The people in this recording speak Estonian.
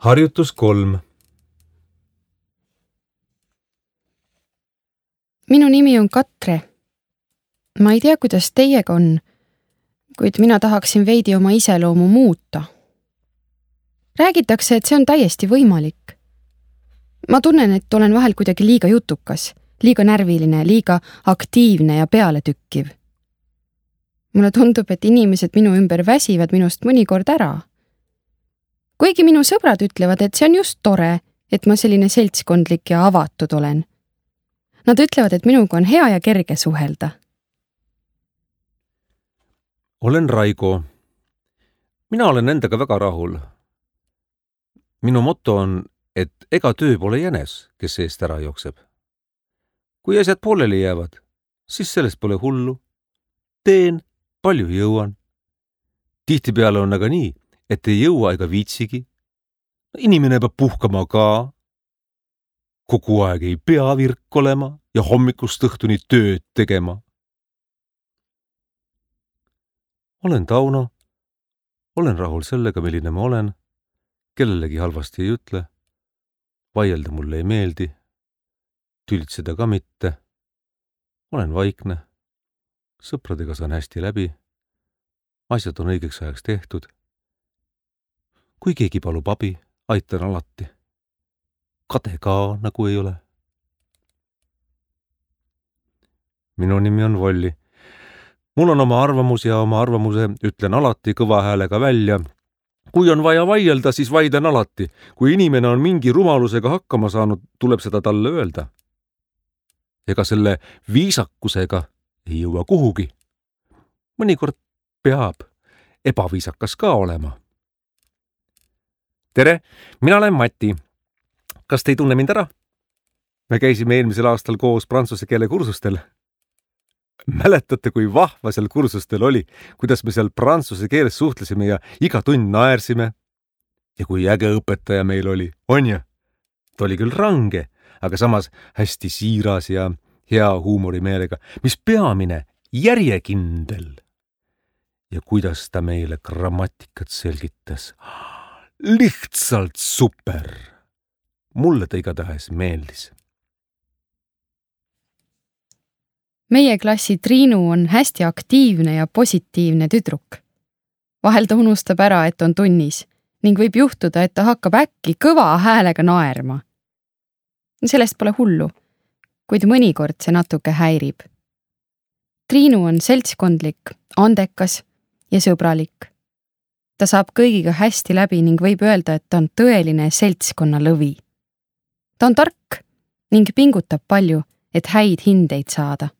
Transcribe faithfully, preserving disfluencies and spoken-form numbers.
Harjutus kolm. Minu nimi on Katre. Ma ei tea, kuidas teiega on, kuid mina tahaksin veidi oma iseloomu muuta. Räägitakse, et see on täiesti võimalik. Ma tunnen, et olen vahel kuidagi liiga jutukas, liiga närviline, liiga aktiivne ja pealetükkiv. Mulle tundub, et inimesed minu ümber väsivad minust mõnikord ära. Kuigi minu sõbrad ütlevad, et see on just tore, et ma selline seltskondlik ja avatud olen. Nad ütlevad, et minuga on hea ja kerge suhelda. Olen Raigo. Mina olen endaga väga rahul. Minu motto on, et ega töö pole jänes, kes eest ära jookseb. Kui asjad pooleli jäävad, siis sellest pole hullu. Teen, palju jõuan. Tihtipeale on aga nii, et ei jõua ega viitsigi. Inimene peab puhkama ka. Kogu aeg ei pea virk olema ja hommikust õhtuni tööd tegema. Olen Tauno. Olen rahul sellega, milline ma olen. Kellelegi halvasti ei ütle. Vaielda mulle ei meeldi. Tülitseda ka mitte. Olen vaikne. Sõpradega saan hästi läbi. Asjad on õigeks ajaks tehtud. Kui keegi palub abi, aitan alati. Kade ka nagu ei ole. Minu nimi on Volli. Mul on oma arvamus ja oma arvamuse ütlen alati kõva häälega välja. Kui on vaja vaielda, siis vaidlen alati. Kui inimene on mingi rumalusega hakkama saanud, tuleb seda talle öelda. Ega selle viisakusega ei jõua kuhugi. Mõnikord peab ebaviisakas ka olema. Tere, mina olen Mati. Kas te ei tunne mind ära? Me käisime eelmisel aastal koos prantsuse keele kursustel. Mäletate, kui vahva seal kursustel oli, kuidas me seal prantsuse keeles suhtlesime ja iga tund naersime? Ja kui äge õpetaja meil oli, on ju? Ta oli küll range, aga samas hästi siiras ja hea huumorimeelega, mis peamine järjekindel. Ja kuidas ta meile grammatikat selgitas? Lihtsalt super! Mulle ta igatahes meeldis. Meie klassi Triinu on hästi aktiivne ja positiivne tüdruk. Vahel ta unustab ära, et on tunnis ning võib juhtuda, et ta hakkab äkki kõva häälega naerma. Sellest pole hullu, kuid mõnikord see natuke häirib. Triinu on seltskondlik, andekas ja sõbralik. Ta saab kõigiga hästi läbi ning võib öelda, et ta on tõeline seltskonna lõvi. Ta on tark ning pingutab palju, et häid hindeid saada.